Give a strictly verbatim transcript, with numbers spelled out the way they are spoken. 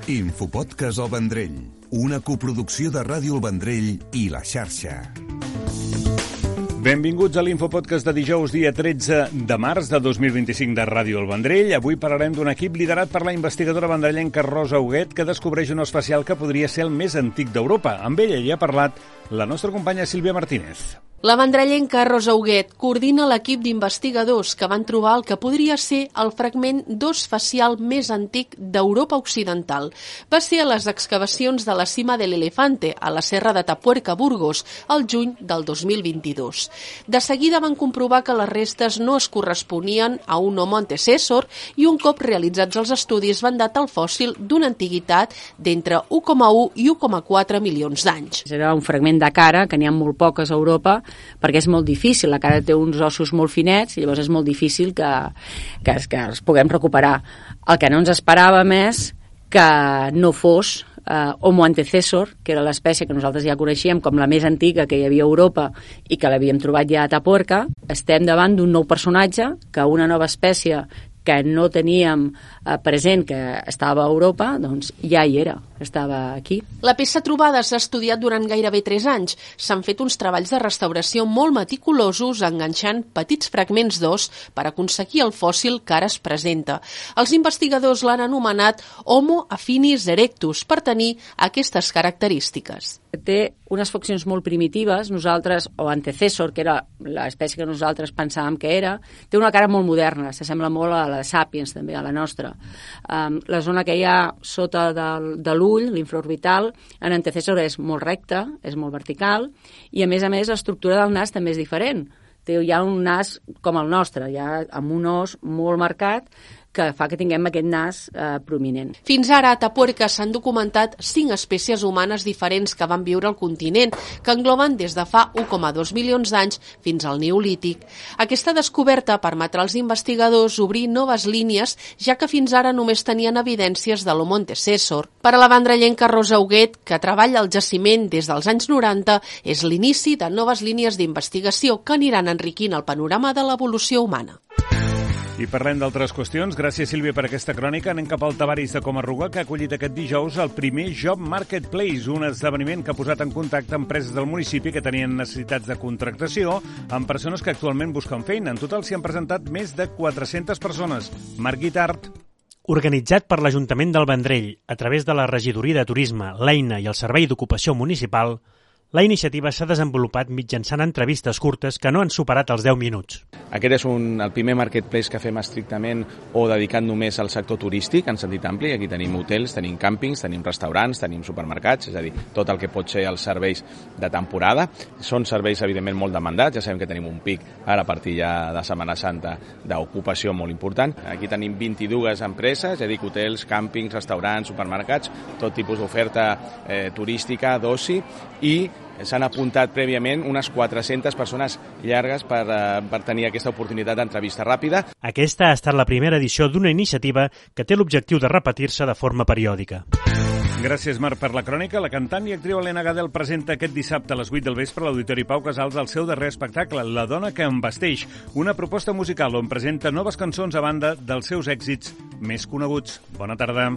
Infopodcast El Vendrell, una coproducció de Ràdio El Vendrell i La Xarxa. Benvinguts a l'Infopodcast de dijous, dia tretze de març de dos mil vint-i-cinc de Ràdio El Vendrell. Avui parlarem d'un equip liderat per la investigadora vendrellenca Rosa Huguet, que descobreix un os facial que podria ser el més antic d'Europa. Amb ella hi ha parlat la nostra companya Sílvia Martínez. La vendrellenca Rosa Huguet coordina l'equip d'investigadors que van trobar el que podria ser el fragment d'os facial més antic d'Europa Occidental. Va ser a les excavacions de la Cima de l'Elefante, a la serra de Tapuerca, Burgos, el juny del dos mil vint-i-dos. De seguida van comprovar que les restes no es corresponien a un homo antecessor i un cop realitzats els estudis van datar el fòssil d'una antiguitat d'entre u coma u i u coma quatre milions d'anys. Era un fragment de cara, que n'hi ha molt poques a Europa, perquè és molt difícil, la cara té uns ossos molt finets i llavors és molt difícil que, que, que els puguem recuperar. El que no ens esperàvem és que no fos eh, Homo antecessor, que era l'espècie que nosaltres ja coneixíem com la més antiga que hi havia a Europa i que l'havíem trobat ja a Tapuerca. Estem davant d'un nou personatge, que una nova espècie que no teníem eh, present que estava a Europa, doncs ja hi era, estava aquí. La peça trobada s'ha estudiat durant gairebé tres anys. S'han fet uns treballs de restauració molt meticulosos enganxant petits fragments d'os per aconseguir el fòssil que ara es presenta. Els investigadors l'han anomenat Homo affinis erectus per tenir aquestes característiques. Té unes faccions molt primitives, nosaltres, o antecessor, que era l'espècie que nosaltres pensàvem que era, té una cara molt moderna, s'assembla molt a la de Sapiens, també, a la nostra. Um, la zona que hi ha sota del, de l'ull, l'infraorbital, en antecessor és molt recta, és molt vertical, i a més a més l'estructura del nas també és diferent. Té ja un nas com el nostre, ja amb un os molt marcat, que fa que tinguem aquest nas eh, prominent. Fins ara a Tapuerca s'han documentat cinc espècies humanes diferents que van viure al continent, que engloben des de fa u coma dos milions d'anys fins al Neolític. Aquesta descoberta permetrà als investigadors obrir noves línies, ja que fins ara només tenien evidències de l'Homo antecessor. Per a la vendrellenca Rosa Huguet, que treballa al jaciment des dels anys noranta, és l'inici de noves línies d'investigació que aniran enriquint el panorama de l'evolució humana. I parlem d'altres qüestions. Gràcies, Sílvia, per aquesta crònica. Anem cap al Tavaris de Comarruga, que ha acollit aquest dijous el primer Job Marketplace, un esdeveniment que ha posat en contacte empreses del municipi que tenien necessitats de contractació amb persones que actualment busquen feina. En total s'hi han presentat més de quatre-centes persones. Marc Guitart. Organitzat per l'Ajuntament del Vendrell, a través de la Regidoria de Turisme, l'Eina i el Servei d'Ocupació Municipal, la iniciativa s'ha desenvolupat mitjançant entrevistes curtes que no han superat els deu minuts. Aquest és un, el primer marketplace que fem estrictament o dedicat només al sector turístic, en sentit ampli. Aquí tenim hotels, tenim càmpings, tenim restaurants, tenim supermercats, és a dir, tot el que pot ser els serveis de temporada. Són serveis, evidentment, molt demandats. Ja sabem que tenim un pic ara a partir ja de Setmana Santa d'ocupació molt important. Aquí tenim vint-i-dues empreses, ja dic, hotels, càmpings, restaurants, supermercats, tot tipus d'oferta eh, turística, d'oci, i s'han apuntat prèviament unes quatre-centes persones llargues per, uh, per tenir aquesta oportunitat d'entrevista ràpida. Aquesta ha estat la primera edició d'una iniciativa que té l'objectiu de repetir-se de forma periòdica. Gràcies, Marc, per la crònica. La cantant i actriu Helena Gadel presenta aquest dissabte a les vuit del vespre a l'Auditori Pau Casals el seu darrer espectacle, La dona que em vesteix, una proposta musical on presenta noves cançons a banda dels seus èxits més coneguts. Bona tarda.